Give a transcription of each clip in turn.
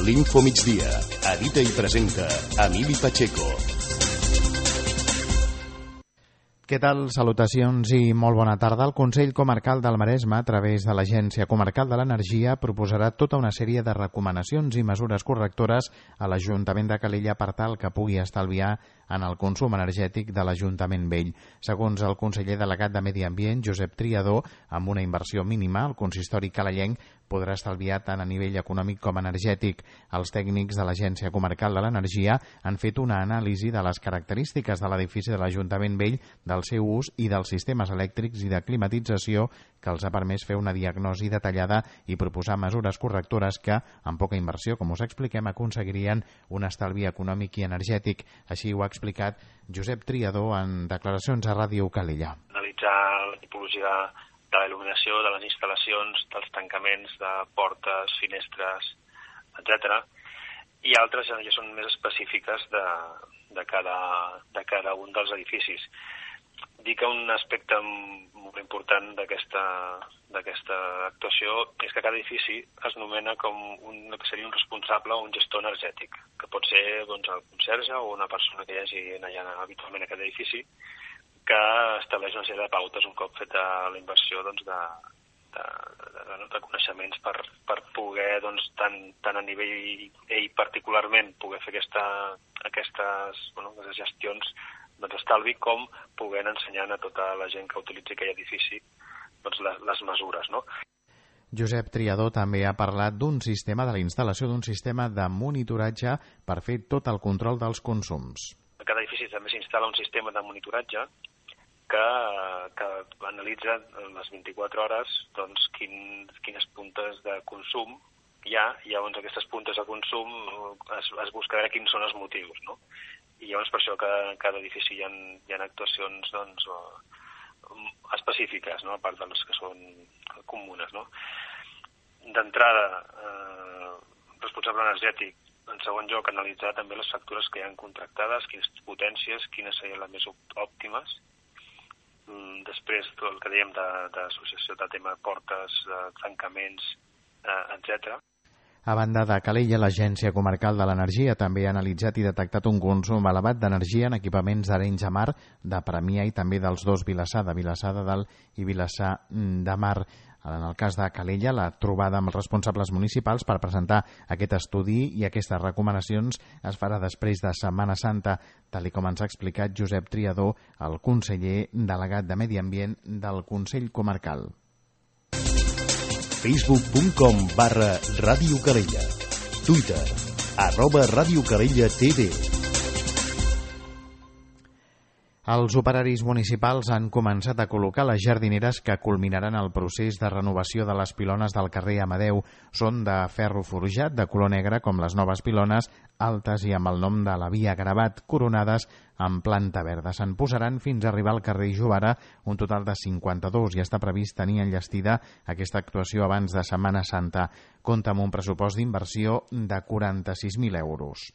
L'Info Migdia. Edita i presenta Emili Pacheco. Què tal? Salutacions i molt bona tarda. El Consell Comarcal del Maresme, a través de l'Agència Comarcal de l'Energia, proposarà tota una sèrie de recomanacions i mesures correctores a l'Ajuntament de Calella per tal que pugui estalviar en el consum energètic de l'Ajuntament vell. Segons el conseller delegat de Medi Ambient, Josep Triadó, amb una inversió mínima, el consistori calellenc podrà estalviar tant a nivell econòmic com energètic. Els tècnics de l'Agència Comarcal de l'Energia han fet una anàlisi de les característiques de l'edifici de l'Ajuntament vell, del seu ús i dels sistemes elèctrics i de climatització que els ha permès fer una diagnosi detallada i proposar mesures correctores que, amb poca inversió, com us expliquem, aconseguirien un estalvi econòmic i energètic. Així ho ha explicat Josep Triadó en declaracions a Ràdio Calella. Analitzar la tipologia de la il·luminació, de les instal·lacions, dels tancaments de portes, finestres, etc. I altres ja són més específiques de cada un dels edificis. Dic que un aspecte molt important d'aquesta actuació és que cada edifici es nomena com que seria un responsable o un gestor energètic, que pot ser el conserge o una persona que hi hagi allà habitualment a aquest edifici, que estableix una sèrie de pautes un cop feta la inversió de coneixements per poder, tant a nivell ell particularment, poder fer aquestes gestions d'estalvi, com poder ensenyar a tota la gent que utilitzi aquell edifici les mesures, no? Josep Triadó també ha parlat de la instal·lació d'un sistema de monitoratge per fer tot el control dels consums. A cada edifici també s'instal·la un sistema de monitoratge que analitza les 24 hores quines puntes de consum hi ha, i llavors aquestes puntes de consum es busca veure quins són els motius, no? I llavors per això que a cada edifici hi ha actuacions específiques, no? A part de les que són comunes, no? D'entrada, responsable energètic. En segon lloc, analitzar també les factures que hi ha contractades, quines potències, quines serien les més òptimes. Després, tot el que dèiem d'associació de tema portes, tancaments, etc. A banda de Calella, l'Agència Comarcal de l'Energia també ha analitzat i detectat un consum elevat d'energia en equipaments d'Arenys de Mar, de Premià i també dels dos Vilassar, de Vilassar de Dalt i Vilassar de Mar. En el cas de Calella, la trobada amb els responsables municipals per presentar aquest estudi i aquestes recomanacions es farà després de Setmana Santa, tal com ens ha explicat Josep Triadó, el conseller delegat de Medi Ambient del Consell Comarcal. Facebook.com/Ràdio Calella. Twitter @Ràdio Calella TV. Els operaris municipals han començat a col·locar les jardineres que culminaran el procés de renovació de les pilones del carrer Amadeu. Són de ferro forjat de color negre, com les noves pilones, altes i amb el nom de la via gravat, coronades en planta verda. Se'n posaran fins a arribar al carrer Jovara, un total de 52, i està previst tenir enllestida aquesta actuació abans de Setmana Santa. Compta amb un pressupost d'inversió de 46.000 euros.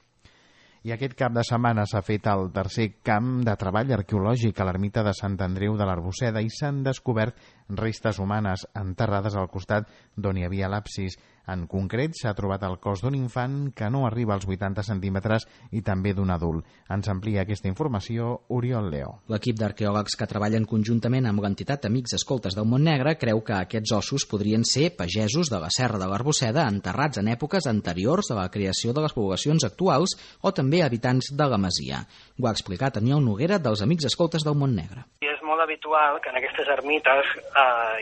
I aquest cap de setmana s'ha fet el tercer camp de treball arqueològic a l'ermita de Sant Andreu de l'Arbosseda i s'han descobert restes humanes enterrades al costat d'on hi havia l'absis. En concret, s'ha trobat el cos d'un infant que no arriba als 80 centímetres i també d'un adult. Ens amplia aquesta informació Oriol Leo. L'equip d'arqueòlegs que treballen conjuntament amb l'entitat Amics Escoltes del Montnegre creu que aquests ossos podrien ser pagesos de la Serra de l'Arbosseda enterrats en èpoques anteriors a la creació de les poblacions actuals o també habitants de la masia. Ho ha explicat Aniol Noguera dels Amics Escoltes del Montnegre. És molt habitual que en aquestes ermites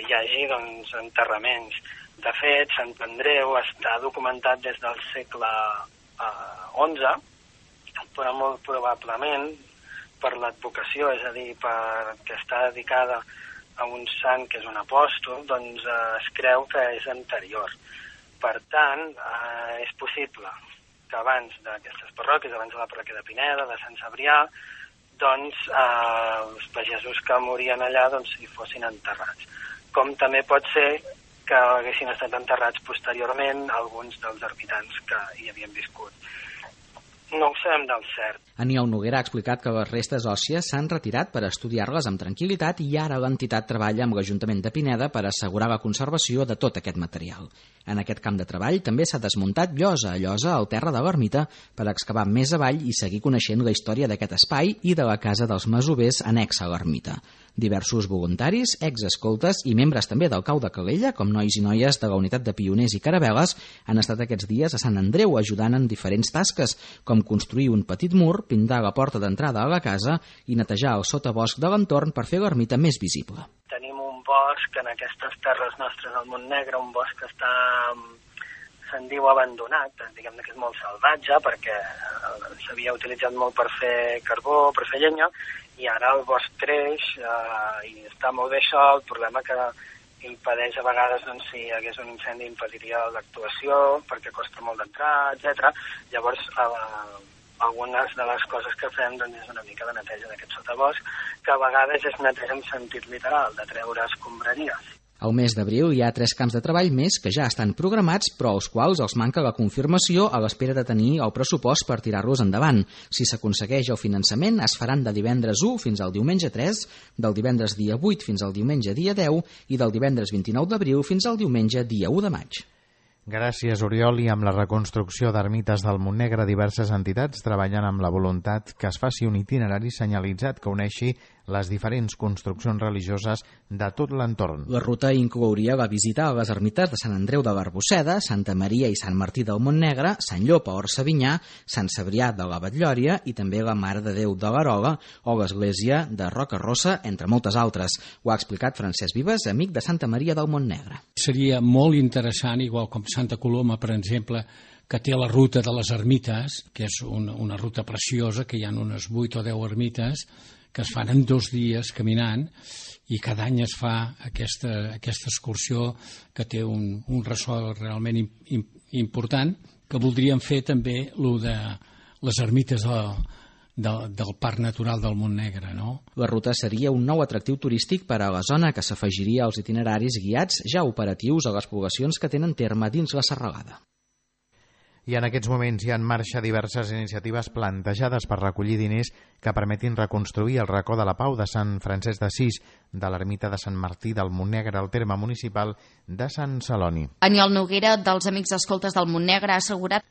hi hagi enterraments. De fet, Sant Andreu està documentat des del segle XI, però molt probablement per l'advocació, és a dir, perquè està dedicada a un sant que és un apòstol, doncs es creu que és anterior. Per tant, és possible que abans d'aquestes parròquies, abans de la parròquia de Pineda, de Sant Cebrià, doncs els pagesos que morien allà hi fossin enterrats. Com també pot ser que haguessin estat enterrats posteriorment alguns dels ermitans que hi havien viscut. No ho sabem del cert. Aniol Noguera ha explicat que les restes òssies s'han retirat per estudiar-les amb tranquil·litat i ara l'entitat treballa amb l'Ajuntament de Pineda per assegurar la conservació de tot aquest material. En aquest camp de treball també s'ha desmuntat llosa a llosa al terra de l'ermita per excavar més avall i seguir coneixent la història d'aquest espai i de la casa dels masovers anexa a l'ermita. Diversos voluntaris, exescoltes i membres també del Cau de Calella, com nois i noies de la unitat de pioners i caravel·les, han estat aquests dies a Sant Andreu ajudant en diferents tasques, com construir un petit mur, pintar la porta d'entrada a la casa i netejar el sotabosc de l'entorn per fer l'ermita més visible. Tenim un bosc en aquestes terres nostres al Montnegre, un bosc que està, se'n diu abandonat, diguem que és molt salvatge perquè s'havia utilitzat molt per fer carbó, per fer llenya, i ara el bosc creix i està molt bé això. El problema que impedeix a vegades, doncs, si hi hagués un incendi impediria l'actuació perquè costa molt d'entrar, etc. Llavors algunes de les coses que fem, doncs, és una mica de neteja d'aquest sotabosc, que a vegades és neteja en sentit literal, de treure escombraries. Al mes d'abril hi ha 3 camps de treball més que ja estan programats, però als quals els manca la confirmació a l'espera de tenir el pressupost per tirar-los endavant. Si s'aconsegueix el finançament, es faran de divendres 1 fins al diumenge 3, del divendres dia 8 fins al diumenge dia 10 i del divendres 29 d'abril fins al diumenge dia 1 de maig. Gràcies, Oriol. I amb la reconstrucció d'ermites del Montnegre, diverses entitats treballen amb la voluntat que es faci un itinerari senyalitzat que uneixi les diferents construccions religioses de tot l'entorn. La ruta inclouria la visita a les ermites de Sant Andreu de l'Arbosseda, Santa Maria i Sant Martí del Montnegre, Sant Llop a Orsavinyà, Sant Cebrià de la Batllòria i també la Mare de Déu de l'Arola o l'església de Rocarossa, entre moltes altres. Ho ha explicat Francesc Vives, amic de Santa Maria del Montnegre. Seria molt interessant, igual com Santa Coloma, per exemple, que té la ruta de les ermites, que és una ruta preciosa, que hi ha unes 8 o 10 ermites, que es fan en 2 dies caminant, i cada any es fa aquesta excursió que té un ressò realment important, que voldríem fer també el de les ermites del Parc Natural del Montnegre, no? La ruta seria un nou atractiu turístic per a la zona que s'afegiria als itineraris guiats ja operatius a les poblacions que tenen terme dins la serralada. I en aquests moments hi ha en marxa diverses iniciatives plantejades per recollir diners que permetin reconstruir el racó de la Pau de Sant Francesc d'Assís, de l'ermita de Sant Martí del Montnegre al terme municipal de Sant Celoni. Aniol Noguera, dels Amics Escoltes del Montnegre, ha assegurat.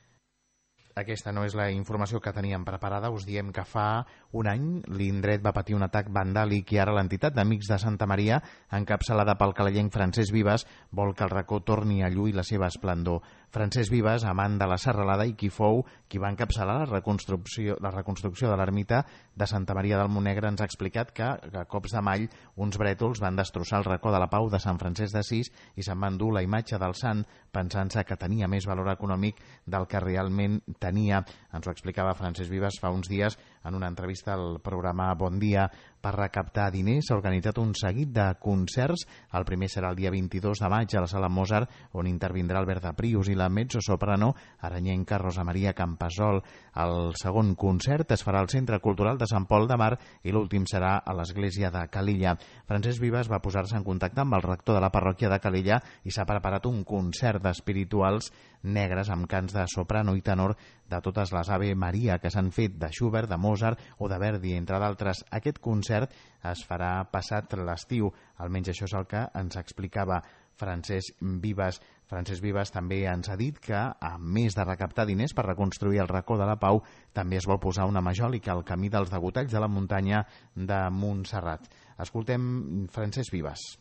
Aquesta no és la informació que teníem preparada. Us diem que fa un any l'indret va patir un atac vandàlic i ara l'entitat d'Amics de Santa Maria, encapçalada pel calellenc Francesc Vives, vol que el racó torni a lluir la seva esplendor. Francesc Vives, amant de la serralada i qui fou qui va encapçalar la reconstrucció de l'ermita de Santa Maria del Montnegre, ens ha explicat que a cops de mall uns brètols van destrossar el racó de la Pau de Sant Francesc d'Assís i se'n van dur la imatge del sant pensant-se que tenia més valor econòmic del que realment tenia. Ens ho explicava Francesc Vives fa uns dies en una entrevista al programa Bon Dia. Per recaptar diners s'ha organitzat un seguit de concerts. El primer serà el dia 22 de maig a la Sala Mozart, on intervindrà Albert de Prius i la mezzosoprano aranyenca Rosa Maria Campasol. El segon concert es farà al Centre Cultural de Sant Pol de Mar i l'últim serà a l'església de Calella. Francesc Vives va posar-se en contacte amb el rector de la parròquia de Calella i s'ha preparat un concert d'espirituals negres amb cants de soprano i tenor de totes les Ave Maria que s'han fet de Schubert, de Mozart o de Verdi, entre d'altres. Aquest concert es farà passat l'estiu, almenys això és el que ens explicava Francesc Vives. Francesc Vives també ens ha dit que, a més de recaptar diners per reconstruir el racó de la Pau, també es vol posar una majòlica al camí dels degotalls de la muntanya de Montserrat. Escoltem Francesc Vives.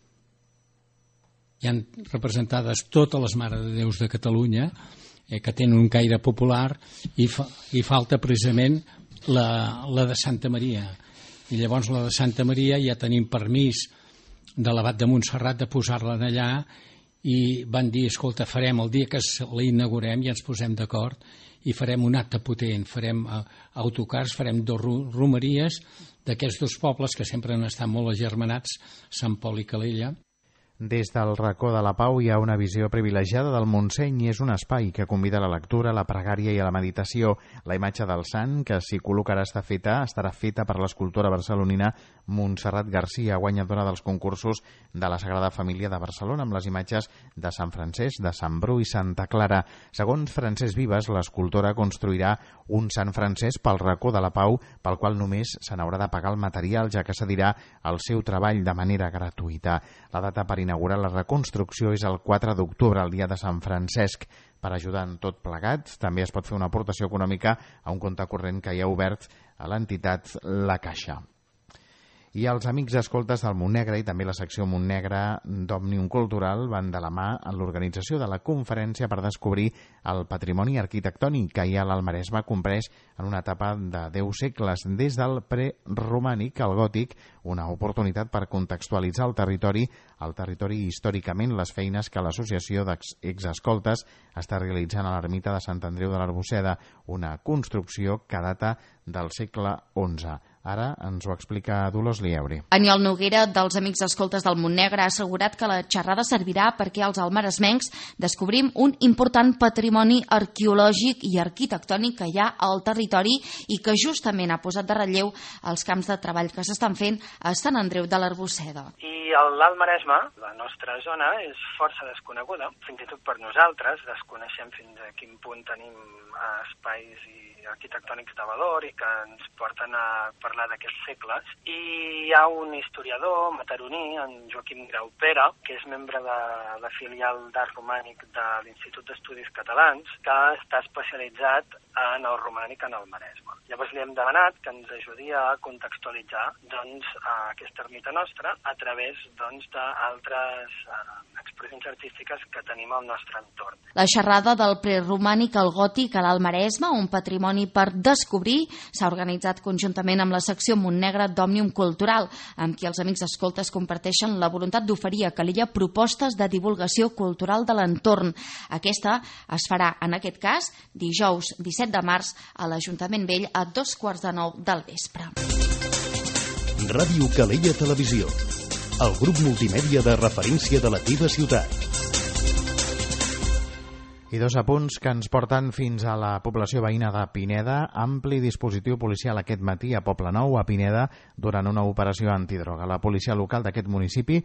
Hi han representades totes les Mares de Déus de Catalunya que tenen un caire popular i falta precisament la de Santa Maria. I llavors la de Santa Maria ja tenim permís de l'abat de Montserrat de posar-la allà i van dir, escolta, farem el dia que la inaugurem i ens posem d'acord i farem un acte potent, farem autocars, farem 2 romeries d'aquests 2 pobles que sempre han estat molt agermanats, Sant Pol i Calella. Des del racó de la Pau hi ha una visió privilegiada del Montseny i és un espai que convida a la lectura, a la pregària i a la meditació. La imatge del sant que s'hi col·locarà estarà feta per l'escultora barcelonina Montserrat Garcia, guanyadora dels concursos de la Sagrada Família de Barcelona, amb les imatges de Sant Francesc, de Sant Bru i Santa Clara. Segons Francesc Vives, l'escultora construirà un Sant Francesc pel racó de la Pau, pel qual només se n'haurà de pagar el material, ja que cedirà el seu treball de manera gratuïta. La data per inaugurar la reconstrucció és el 4 d'octubre, el dia de Sant Francesc. Per ajudar en tot plegat, també es pot fer una aportació econòmica a un compte corrent que hi ha obert a l'entitat La Caixa. I els amics escoltes del Montnegre i també la secció Montnegre d'Òmnium Cultural van de la mà en l'organització de la conferència per descobrir el patrimoni arquitectònic que hi ha a l'Almaresme comprès en una etapa de 10 segles, des del preromànic al gòtic, una oportunitat per contextualitzar el territori històricament, les feines que l'Associació d'Exescoltes està realitzant a l'ermita de Sant Andreu de l'Arboçeda, una construcció que data del segle XI. Ara ens ho explica Dolors Liebre. Aniol Noguera, dels Amics Escoltes del Montnegre, ha assegurat que la xerrada servirà perquè els almaresmencs descobrim un important patrimoni arqueològic i arquitectònic que hi ha al territori i que justament ha posat de relleu els camps de treball que s'estan fent a Sant Andreu de l'Arboçeda. I l'Alt Maresme, la nostra zona, és força desconeguda. Fins i tot per nosaltres desconeixem fins a quin punt tenim espais arquitectònics de valor i que ens porten a parlar d'aquests segles. I hi ha un historiador mataroní, en Joaquim Graupera, que és membre de la filial d'Art Romànic de l'Institut d'Estudis Catalans, que està especialitzat en el romànic en el Maresme. Llavors li hem demanat que ens ajudi a contextualitzar aquesta ermita nostra a través d'altres expressions artístiques que tenim al nostre entorn. La xerrada del preromànic al gòtic a l'Alt Maresme, un patrimoni per descobrir, s'ha organitzat conjuntament amb la secció Montnegre d'Òmnium Cultural, amb qui els Amics Escoltes comparteixen la voluntat d'oferir a Calella propostes de divulgació cultural de l'entorn. Aquesta es farà, en aquest cas, dijous 17 de març a l'Ajuntament Vell a 8:45 del vespre. Ràdio Calella Televisió, el grup multimèdia de referència de la teva ciutat. I dos apunts que ens porten fins a la població veïna de Pineda. Ampli dispositiu policial aquest matí a Poblenou, a Pineda, durant una operació antidroga. La policia local d'aquest municipi,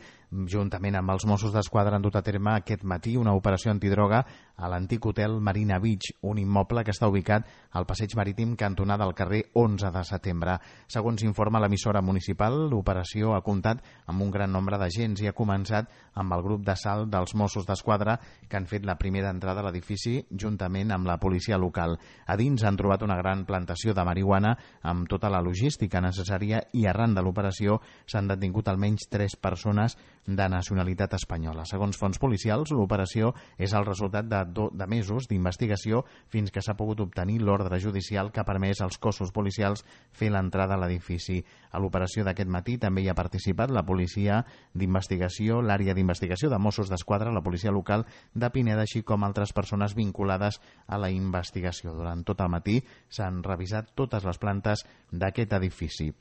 juntament amb els Mossos d'Esquadra, han dut a terme aquest matí una operació antidroga a l'antic hotel Marina Beach, un immoble que està ubicat al passeig marítim cantonada al carrer 11 de setembre. Segons informa l'emissora municipal, l'operació ha comptat amb un gran nombre d'agents i ha començat amb el grup d'assalt dels Mossos d'Esquadra que han fet la primera entrada a l'edifici juntament amb la policia local. A dins han trobat una gran plantació de marihuana amb tota la logística necessària i arran de l'operació s'han detingut almenys 3 persones de nacionalitat espanyola. Segons fonts policials, l'operació és el resultat de mesos d'investigació fins que s'ha pogut obtenir l'ordre judicial que ha permès als cossos policials fer l'entrada a l'edifici. A l'operació d'aquest matí també hi ha participat la policia d'investigació, l'àrea d'investigació de Mossos d'Esquadra, la policia local de Pineda, així com altres persones vinculades a la investigació. Durant tot el matí s'han revisat totes les plantes d'aquest edifici.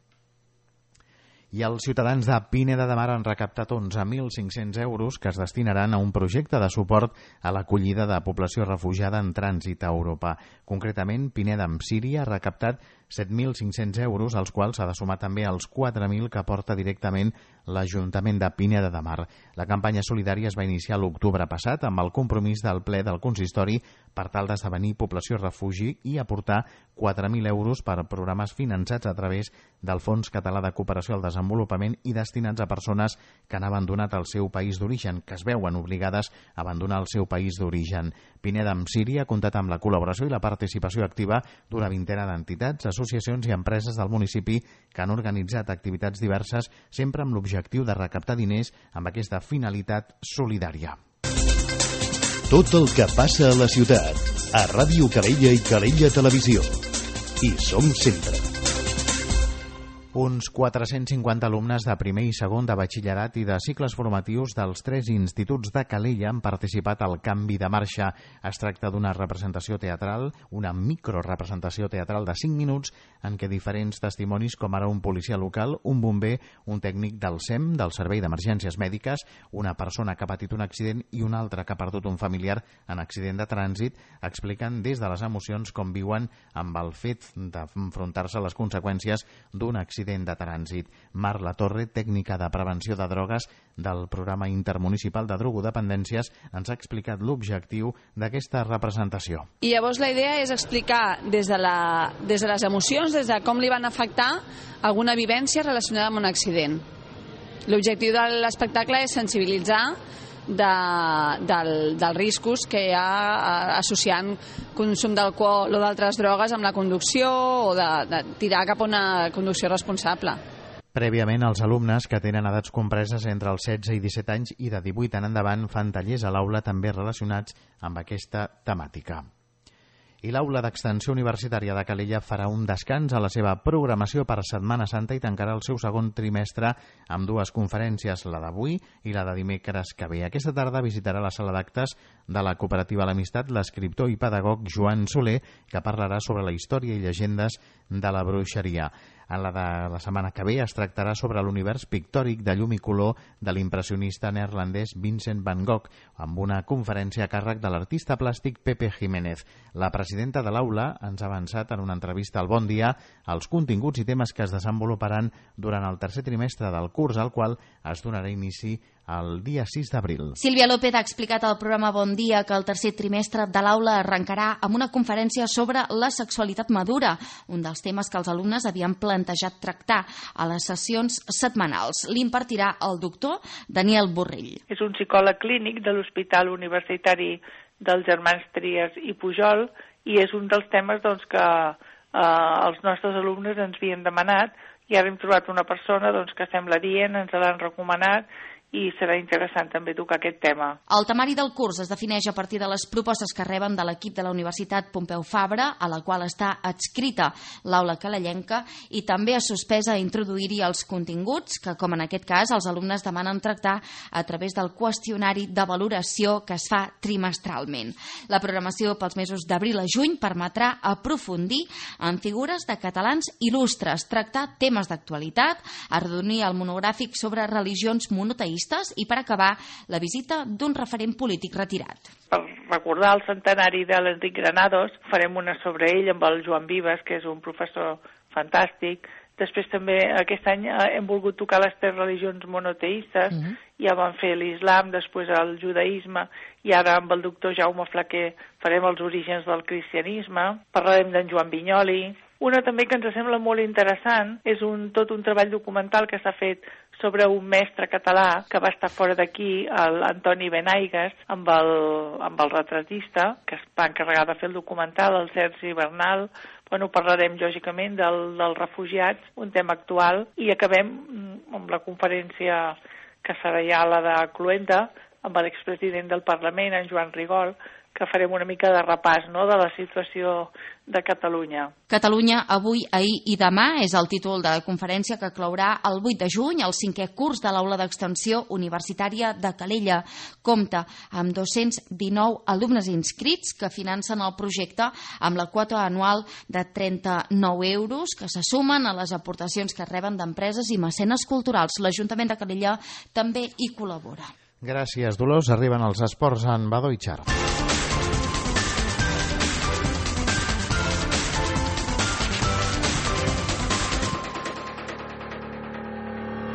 I els ciutadans de Pineda de Mar han recaptat 11.500 euros que es destinaran a un projecte de suport a l'acollida de població refugiada en trànsit a Europa. Concretament, Pineda amb Síria ha recaptat 7.500 euros, als quals s'ha de sumar també els 4.000 que aporta directament l'Ajuntament de Pineda de Mar. La campanya solidària es va iniciar l'octubre passat amb el compromís del ple del consistori per tal d'esdevenir població refugi i aportar 4.000 euros per programes finançats a través del Fons Català de Cooperació al Desenvolupament i destinats a persones que han abandonat el seu país d'origen, que es veuen obligades a abandonar el seu país d'origen. Pineda amb Síria ha comptat amb la col·laboració i la participació activa d'una vintena d'entitats, associacions i empreses del municipi que han organitzat activitats diverses, sempre amb l'objectiu de recaptar diners amb aquesta finalitat solidària. Tot el que passa a la ciutat, a Ràdio Calella i Calella Televisió. Hi som sempre. Uns 450 alumnes de primer i segon de batxillerat i de cicles formatius dels 3 instituts de Calella han participat al Canvi de Marxa. Es tracta d'una representació teatral, una microrepresentació teatral de 5 minuts en què diferents testimonis, com ara un policia local, un bomber, un tècnic del SEM, del Servei d'Emergències Mèdiques, una persona que ha patit un accident i una altra que ha perdut un familiar en accident de trànsit, expliquen des de les emocions com viuen amb el fet d'enfrontar-se a les conseqüències d'un accident de trànsit. Mar Latorre, tècnica de prevenció de drogues del Programa Intermunicipal de Drogodependències, ens ha explicat l'objectiu d'aquesta representació. I llavors la idea és explicar des de les emocions, des de com li van afectar alguna vivència relacionada amb un accident. L'objectiu de l'espectacle és sensibilitzar dels riscos que hi ha associant consum d'alcohol o d'altres drogues amb la conducció o de tirar cap a una conducció responsable. Prèviament, els alumnes que tenen edats compreses entre els 16 i 17 anys i de 18 en endavant fan tallers a l'aula també relacionats amb aquesta temàtica. I l'Aula d'Extensió Universitària de Calella farà un descans a la seva programació per Setmana Santa i tancarà el seu segon trimestre amb 2 conferències, la d'avui i la de dimecres que ve. Aquesta tarda visitarà la sala d'actes de la Cooperativa L'Amistat l'escriptor i pedagog Joan Soler, que parlarà sobre la història i llegendes de la bruixeria. En la de la setmana que ve es tractarà sobre l'univers pictòric de llum i color de l'impressionista neerlandès Vincent van Gogh, amb una conferència a càrrec de l'artista plàstic Pepe Jiménez. La presidenta de l'aula ens ha avançat en una entrevista al Bon Dia els continguts i temes que es desenvoluparan durant el tercer trimestre del curs, al qual es donarà inici el dia 6 d'abril. Sílvia López ha explicat al programa Bon Dia que el tercer trimestre de l'aula arrencarà amb una conferència sobre la sexualitat madura, un dels temes que els alumnes havien plantejat tractar a les sessions setmanals. L'impartirà el doctor Daniel Borrell. És un psicòleg clínic de l'Hospital Universitari dels Germans Trias i Pujol i és un dels temes que els nostres alumnes ens havien demanat i ara hem trobat una persona que sembla dient, ens l'han recomanat i serà interessant també tocar aquest tema. El temari del curs es defineix a partir de les propostes que reben de l'equip de la Universitat Pompeu Fabra, a la qual està adscrita l'aula calellenca, i també es sospesa introduir-hi els continguts que, com en aquest cas, els alumnes demanen tractar a través del qüestionari de valoració que es fa trimestralment. La programació pels mesos d'abril a juny permetrà aprofundir en figures de catalans il·lustres, tractar temes d'actualitat, arrodonir el monogràfic sobre religions monoteistes i, per acabar, la visita d'un referent polític retirat. Per recordar el centenari de l'Enric Granados, farem una sobre ell amb el Joan Vives, que és un professor fantàstic. Després també aquest any hem volgut tocar les 3 religions monoteistes. Ja vam fer l'islam, després el judaïsme i ara amb el doctor Jaume Flaquer farem els orígens del cristianisme. Parlarem d'en Joan Vinyoli. Una també que ens sembla molt interessant és tot un treball documental que s'ha fet sobre un mestre català que va estar fora d'aquí, l'Antoni Benaigues, amb el retratista, que es va encarregar de fer el documental, el Sergi Bernal. Parlarem, lògicament, dels refugiats, un tema actual, i acabem amb la conferència que serà ja la de Cluenda, amb l'expresident del Parlament, en Joan Rigol, que farem una mica de repàs de la situació de Catalunya. Catalunya avui, ahir i demà és el títol de la conferència que clourà el 8 de juny el 5è curs de l'Aula d'Extensió Universitària de Calella. Compta amb 219 alumnes inscrits que financen el projecte amb la quota anual de 39 euros que se sumen a les aportacions que reben d'empreses i mecenes culturals. L'Ajuntament de Calella també hi col·labora. Gràcies, Dolors. Arriben els esports en Badó i Xar.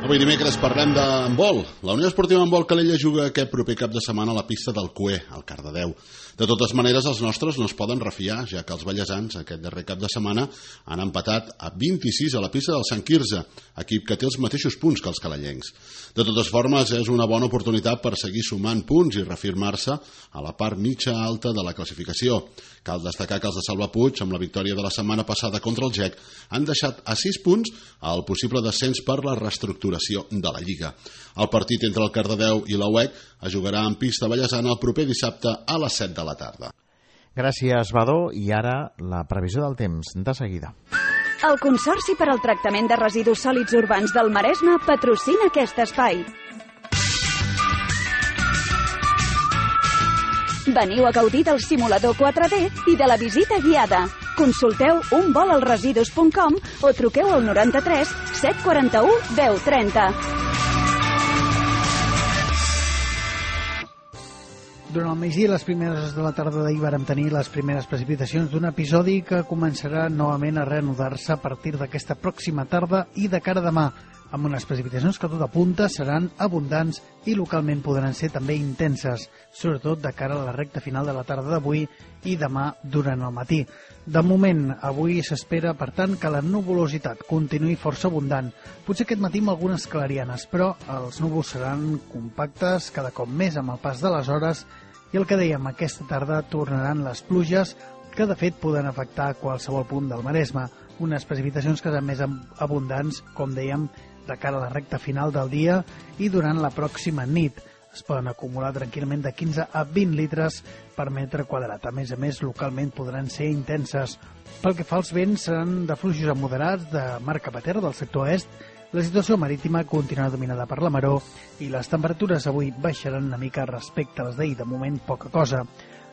Avui dimecres parlem d'handbol. La Unió Esportiva Handbol Calella juga aquest proper cap de setmana a la pista del Cué, al Cardedeu. De totes maneres, els nostres no es poden refiar, ja que els ballesans aquest darrer cap de setmana han empatat a 26 a la pista del Sant Quirze, equip que té els mateixos punts que els calellencs. De totes formes, és una bona oportunitat per seguir sumant punts i reafirmar-se a la part mitja alta de la classificació. Cal destacar que els de Salva Puig, amb la victòria de la setmana passada contra el GEC, han deixat a 6 punts el possible descens per la reestructuració de la Lliga. El partit entre el Cardedeu i la UEC es jugarà en pista ballesana el proper dissabte a les 7 de la tarda. Gràcies, Badó. I ara la previsió del temps, de seguida. El Consorci per al Tractament de Residus Sòlids Urbans del Maresme patrocina aquest espai. Veniu a gaudir del simulador 4D i de la visita guiada. Consulteu unvolalresidus.com o truqueu al 93 741 1030. Durant el migdia i les primeres hores de la tarda d'ahir vàrem tenir les primeres precipitacions d'un episodi que començarà novament a reanudar-se a partir d'aquesta pròxima tarda i de cara a demà, amb unes precipitacions que tot apunta seran abundants i localment podran ser també intenses, sobretot de cara a la recta final de la tarda d'avui i demà durant el matí. De moment, avui s'espera, per tant, que la nuvolositat continuï força abundant. Potser aquest matí amb algunes clarianes, però els núvols seran compactes cada cop més amb el pas de les hores i el que dèiem, aquesta tarda tornaran les pluges que de fet poden afectar qualsevol punt del Maresme. Unes precipitacions que seran més abundants, com dèiem, de cara a la recta final del dia i durant la pròxima nit. Es poden acumular tranquil·lament de 15 a 20 litres per metre quadrat. A més, localment podran ser intenses. Pel que fa als vents, seran de fluixos a moderats de mar cap a terra del sector est. La situació marítima continuarà dominada per la maró i les temperatures avui baixaran una mica respecte a les d'ahir. De moment, poca cosa.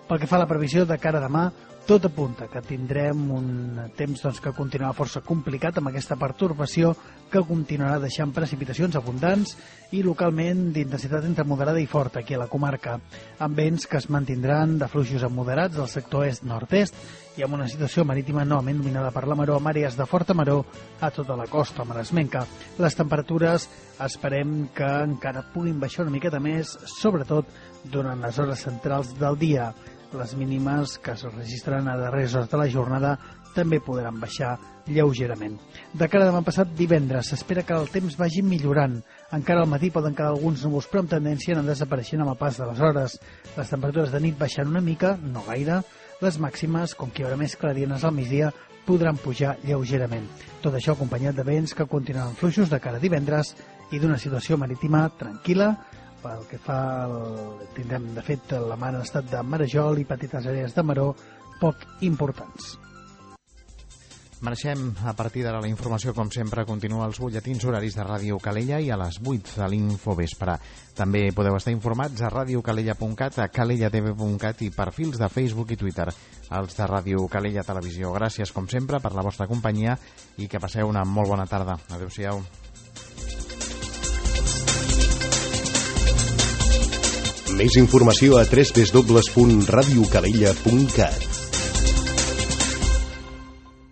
Pel que fa a la previsió de cara a demà, tot apunta que tindrem un temps que continuarà força complicat amb aquesta pertorbació que continuarà deixant precipitacions abundants i localment d'intensitat entre moderada i forta aquí a la comarca, amb vents que es mantindran de fluixos a moderats del sector est-nord-est i amb una situació marítima novament dominada per la maró amb àrees de forta maró a tota la costa maresmenca. Les temperatures esperem que encara puguin baixar una miqueta més, sobretot durant les hores centrals del dia. Les mínimes que es registren a darreres hores de la jornada també podran baixar lleugerament. De cara a demà passat divendres s'espera que el temps vagi millorant. Encara al matí poden quedar alguns núvols, però amb tendència a anar desapareixent amb el pas de les hores. Les temperatures de nit baixen una mica, no gaire. Les màximes, com que hi haurà més clarianes al migdia, podran pujar lleugerament. Tot això acompanyat de vents que continuaran fluixos de cara a divendres i d'una situació marítima tranquil·la. Pel que fa, tindrem de fet la mar en estat de marejol i petites àrees de maró poc importants. Marxem a partir d'ara la informació, com sempre, continua als butlletins horaris de Ràdio Calella i a les 8 de l'Infovespre. També podeu estar informats a radiocalella.cat, a calellatv.cat i perfils de Facebook i Twitter, els de Ràdio Calella Televisió. Gràcies, com sempre, per la vostra companyia i que passeu una molt bona tarda. Adéu-siau. Més informació a www.radiocalella.cat.